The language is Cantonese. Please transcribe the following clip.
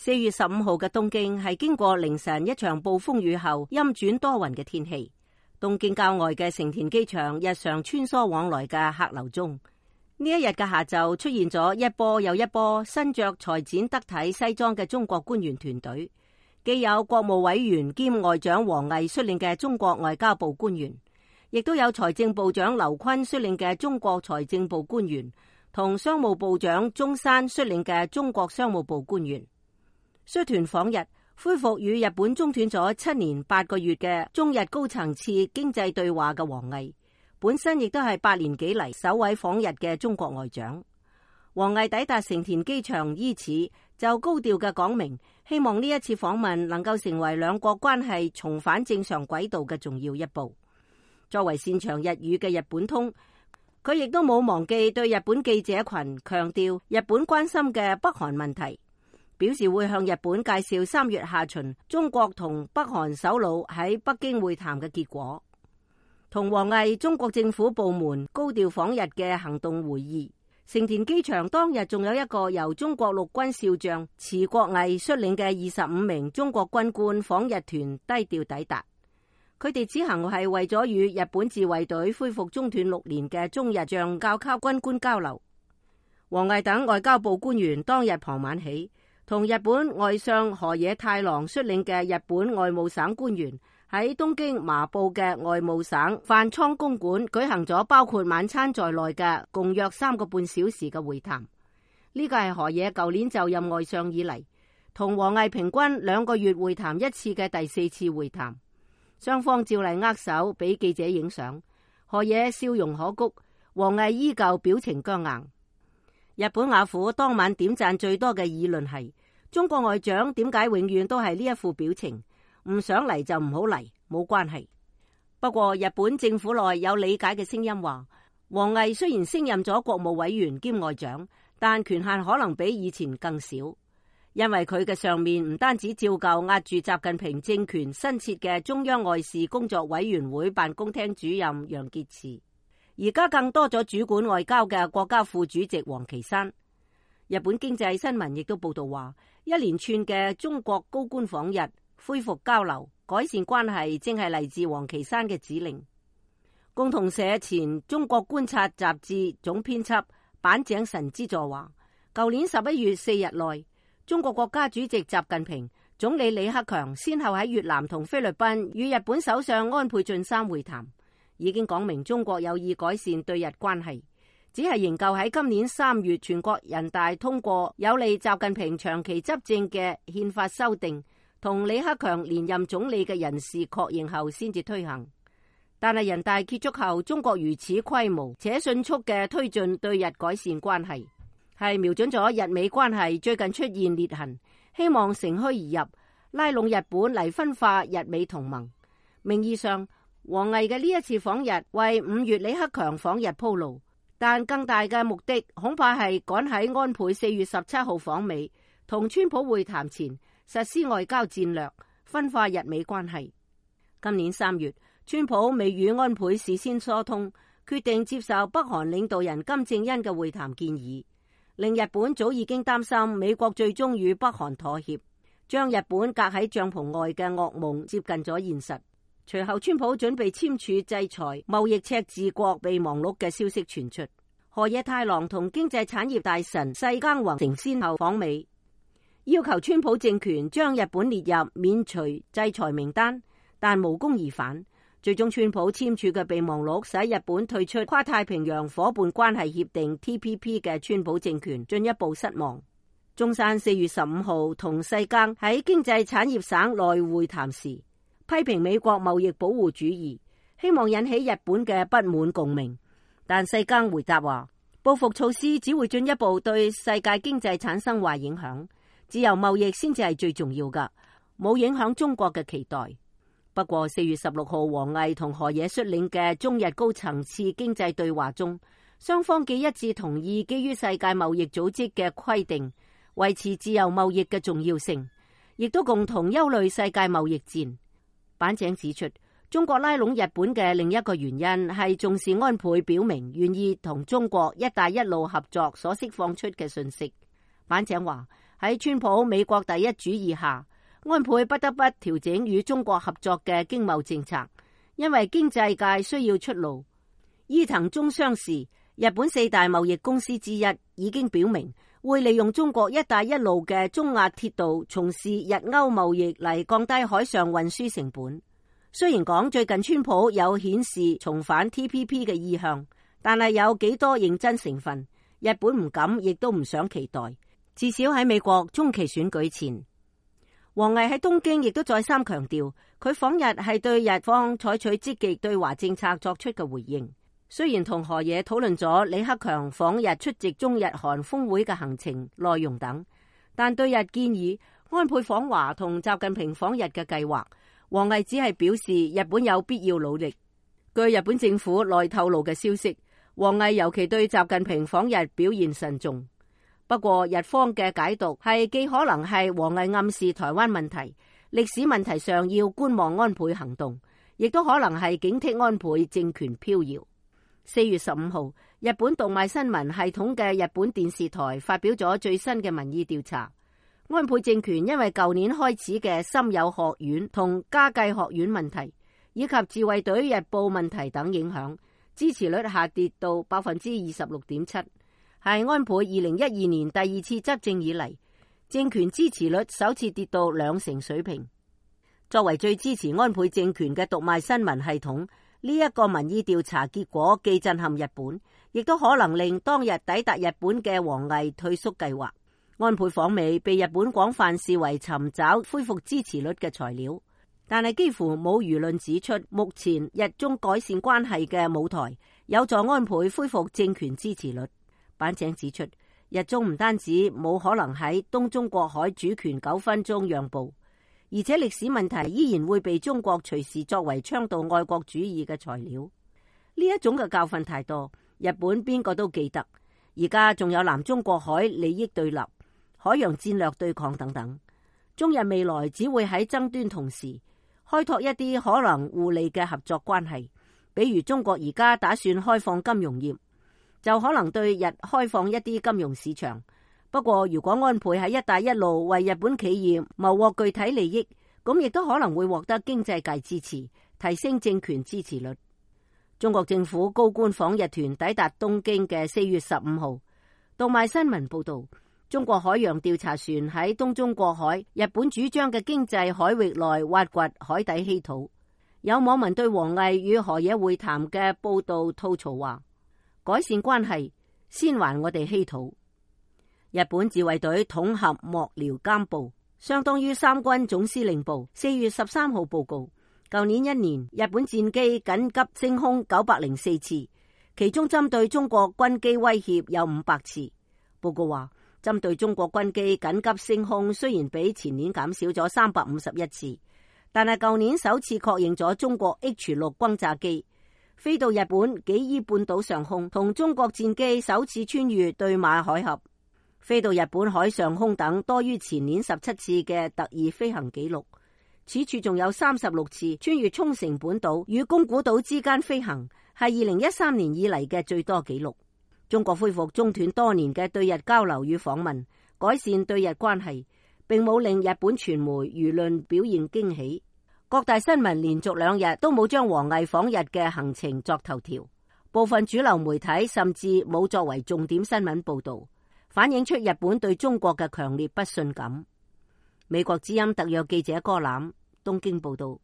4月15號嘅東京係經過凌晨一場暴風雨後陰轉多雲嘅天氣。東京郊外嘅成田機場日常穿梭往來嘅客流中，呢一日嘅下晝出現咗一波又一波身着裁剪得體西裝嘅中國官員團隊，既有國務委員兼外長王毅率領嘅中國外交部官員，亦都有財政部長劉昆率領嘅中國財政部官員，同商務部長中山率領嘅中國商務部官員。率團訪日，恢復與日本中斷咗7年8個月嘅中日高層次經濟對話嘅王毅，本身亦都係8年幾嚟首位訪日嘅中國外長。王毅抵達成田機場伊始，就高調嘅講明，希望呢一次訪問能夠成為兩國關係重返正常軌道嘅重要一步。作為擅長日語嘅日本通，佢亦都冇忘記對日本記者群強調日本關心嘅北韓問題，表示會向日本介紹3月下旬中國同北韓首腦喺北京會談嘅結果。同王毅中國政府部門高調訪日嘅行動會議，成田機場當日仲有一個由中國陸軍少將池國毅率領嘅25名中國軍官訪日團低調抵達。佢哋此行係為咗與日本自衛隊恢復中斷6年嘅中日將校級軍官交流。王毅等外交部官員當日傍晚起，同日本外相河野太郎率領嘅日本外務省官員喺東京麻布嘅外務省飯倉公館舉行咗包括晚餐在內嘅共約3個半小時嘅會談。呢個係河野舊年就任外相以嚟同王毅平均2個月會談1次嘅第4次會談。雙方照例握手俾記者影相，河野笑容可掬，王毅依舊表情僵硬。日本雅虎當晚點讚最多嘅議論係：中國外長點解永遠都係呢一副表情？唔想嚟就唔好嚟，冇關係。不過日本政府內有理解嘅聲音話，王毅雖然升任咗國務委員兼外長，但權限可能比以前更少。因為佢嘅上面唔單止照舊壓住習近平政權新設嘅中央外事工作委員會辦公廳主任楊潔篪，而家更多咗主管外交嘅國家副主席王岐山。日本經濟新聞亦都報道話，一連串嘅中國高官訪日，恢復交流、改善關係，正係嚟自王岐山嘅指令。共同社前中國觀察雜誌總編輯板井神之助話，舊年11月4日內，中國國家主席習近平、總理李克強先後喺越南同菲律賓與日本首相安倍晉三會談，已經講明中國有意改善對日關係，只係仍舊喺今年3月全國人大通過有利習近平長期執政嘅憲法修訂，同李克強連任總理嘅人事確認後先至推行。但係人大結束後，中國如此規模且迅速嘅推進對日改善關係，係瞄準咗日美關係最近出現裂痕，希望乘虛而入，拉攏日本嚟分化日美同盟。名義上，王毅嘅呢一次訪日為5月李克強訪日鋪路，但更大嘅目的恐怕係趕喺安倍4月17號訪美，同川普會談前實施外交戰略，分化日美關係。今年3月，川普未與安倍事先疏通，決定接受北韓領導人金正恩嘅會談建議，令日本早已經擔心美國最終與北韓妥協，將日本隔喺帳篷外嘅噩夢接近咗現實。隨後川普準備簽署制裁貿易赤字國備忘錄嘅消息傳出，河野太郎同經濟產業大臣世耕弘成先後訪美，要求川普政權將日本列入免除制裁名單，但無功而返。最終川普簽署嘅備忘錄使日本退出跨太平洋夥伴關係協定 TPP 嘅川普政權進一步失望。中山4月15號同世耕喺經濟產業省內會談時，批評美國貿易保護主義，希望引起日本嘅不滿共鳴。但世耕回答話，報復措施只會進一步對世界經濟產生壞影響，自由貿易先至係最重要㗎，冇影響中國嘅期待。不過4月16號，王毅同河野率領嘅中日高層次經濟對話中，雙方既一致同意基於世界貿易組織嘅規定，維持自由貿易嘅重要性，亦都共同憂慮世界貿易戰。板井指出，中國拉攏日本嘅另一個原因係重視安倍表明願意同中國一帶一路合作所釋放出嘅訊息。板井話，喺川普美國第一主義下，安倍不得不調整與中國合作嘅經貿政策，因為經濟界需要出路。伊藤忠商事，日本4大貿易公司之一，已經表明會利用中國一帶一路嘅中亞鐵道從事日歐貿易嚟降低海上運輸成本。雖然講最近川普有顯示重返 TPP 嘅意向，但係有幾多認真成分，日本唔敢亦都唔想期待。至少喺美國中期選舉前，王毅喺東京亦都再三強調，佢訪日係對日方採取積極對華政策作出嘅回應。雖然同河野討論咗李克強訪日出席中日韓峰會嘅行程內容等，但對日建議安倍訪華同習近平訪日嘅計劃，王毅只係表示日本有必要努力。據日本政府內透露嘅消息，王毅尤其對習近平訪日表現慎重。不過日方嘅解讀係既可能係王毅暗示台灣問題、歷史問題上要觀望安倍行動，亦都可能係警惕安倍政權飄搖。4月15號，日本讀賣新聞系統嘅日本電視台發表咗最新嘅民意調查，安倍政權因為舊年開始嘅森友學院同家計學院問題，以及自衛隊日報問題等影響，支持率下跌到 26.7%， 係安倍2012年第2次執政以嚟，政權支持率首次跌到2成水平。作為最支持安倍政權嘅讀賣新聞系統，呢一個民意調查結果既震撼日本，亦都可能令當日抵達日本嘅王毅退縮計劃。安倍訪美被日本廣泛視為尋找恢復支持率嘅材料，但係幾乎冇輿論指出目前日中改善關係嘅舞台有助安倍恢復政權支持率。板井指出，日中唔單止冇可能喺東中國海主權糾紛中讓步，而且歷史問題依然會被中國隨時作為倡導愛國主義嘅材料。呢一種嘅教訓太多，日本邊個都記得。而家仲有南中國海利益對立、海洋戰略對抗等等，中日未來只會喺爭端同時開拓一啲可能互利嘅合作關係。比如中國而家打算開放金融業，就可能對日開放一啲金融市場。不過如果安倍喺一帶一路為日本企業謀獲具體利益，咁亦都可能會獲得經濟界支持，提升政權支持率。中國政府高官訪日團抵達東京嘅4月15號，讀賣新聞報道，中國海洋調查船喺東中國海日本主張嘅經濟海域內挖掘海底稀土。有網民對王毅與河野會談嘅報道吐槽話，改善關係先還我哋稀土。日本自衛隊統合幕僚監部，相當於三軍總司令部4月13號報告，舊年一年日本戰機緊急升空904次，其中針對中國軍機威脅有500次。報告話，針對中國軍機緊急升空雖然比前年減少咗351次，但係舊年首次確認咗中國 H6 轟炸機飛到日本紀伊半島上空，同中國戰機首次穿越對馬海峽飛到日本海上空等，多於前年17次嘅特異飛行記錄。此處仲有36次穿越沖繩本島與宮古島之間飛行，係2013年以嚟嘅最多紀錄。中國恢復中斷多年嘅對日交流與訪問，改善對日關係，並冇令日本傳媒輿論表現驚喜。各大新聞連續2日都冇將王毅訪日嘅行程作頭條，部分主流媒體甚至冇作為重點新聞報道，反映出日本對中國嘅強烈不信感。美國之音特約記者柯攬東京報道。